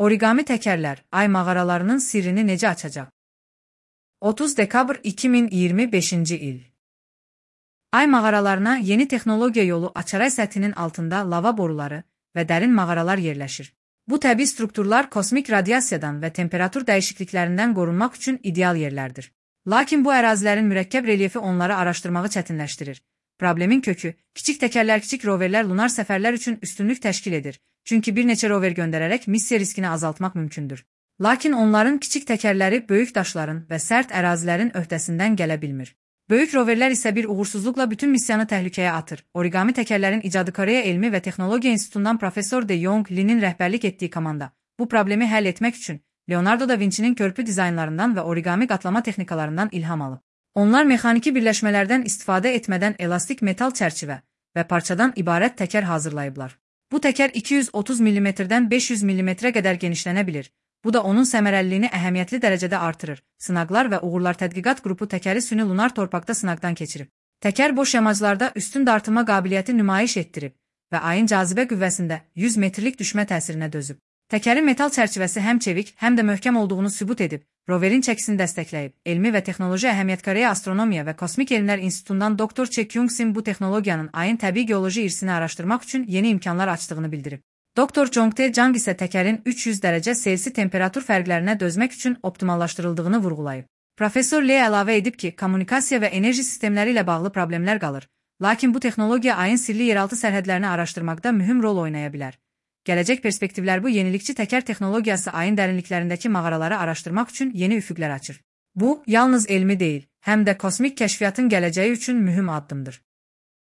Origami təkərlər ay mağaralarının sirrini necə açacaq? 30 dekabr 2025-ci il. Ay mağaralarına yeni texnologiya yolu açaray səthinin altında lava boruları və dərin mağaralar yerləşir. Bu təbii strukturlar kosmik radiasiyadan və temperatur dəyişikliklərindən qorunmaq üçün ideal yerlərdir. Lakin bu ərazilərin mürəkkəb relyefi onları araşdırmağı çətinləşdirir. Problemin kökü, kiçik təkərlər, kiçik roverlər lunar səfərlər üçün üstünlük təşkil edir. Çünki bir neçə rover göndərərək missiya riskini azaltmaq mümkündür. Lakin onların kiçik təkərləri böyük daşların və sərt ərazilərin öhdəsindən gələ bilmir. Böyük roverlər isə bir uğursuzluqla bütün missiyanı təhlükəyə atır. Origami təkərlərin icadı Koreya Elmi və Texnologiya İnstitutundan Professor De Jong Lee'nin rəhbərlik etdiyi komanda bu problemi həll etmək üçün Leonardo da Vinci'nin körpü dizaynlarından və origami qatlama texnikalarından ilham alıb. Onlar mexaniki birləşmələrdən istifadə etmədən elastik metal çərçivə və parçadan ibarət təkər hazırlayıblar. Bu təkər 230 mm-dən 500 mm-ə qədər genişlənə bilir. Bu da onun səmərəliliyini əhəmiyyətli dərəcədə artırır. Sınaqlar və uğurlar tədqiqat qrupu təkəri süni lunar torpaqda sınaqdan keçirib. Təkər boş yamaclarda üstün dartılma qabiliyyəti nümayiş etdirib və ayın cazibə qüvvəsində 100 metrlik düşmə təsirinə dözüb. Təkərin metal çərçivəsi həm çevik, həm də möhkəm olduğunu sübut edib, roverin çəkisini dəstəkləyib. Elmi və Texnoloji Əhəmiyyət Koreya Astronomiya və Kosmik Elmlər İnstitutundan Dr. Che Kyung-sin bu texnologiyanın ayın təbii geoloji irsini araşdırmaq üçün yeni imkanlar açdığını bildirib. Dr. Jong-tae Jang isə təkərin 300 dərəcə Selsi temperatur fərqlərinə dözmək üçün optimallaşdırıldığını vurğulayıb. Professor Lee əlavə edib ki, kommunikasiya və enerji sistemləri ilə bağlı problemlər qalır. Lakin bu texnologiya ayın sirli yeraltı sərhədlərini araşdırmaqda mühüm rol oynaya bilər. Gələcək perspektivlər bu yenilikçi təkər texnologiyası ayın dərinliklərindəki mağaraları araşdırmaq üçün yeni üfüqlər açır. Bu, yalnız elmi deyil, həm də kosmik kəşfiyyatın gələcəyi üçün mühüm addımdır.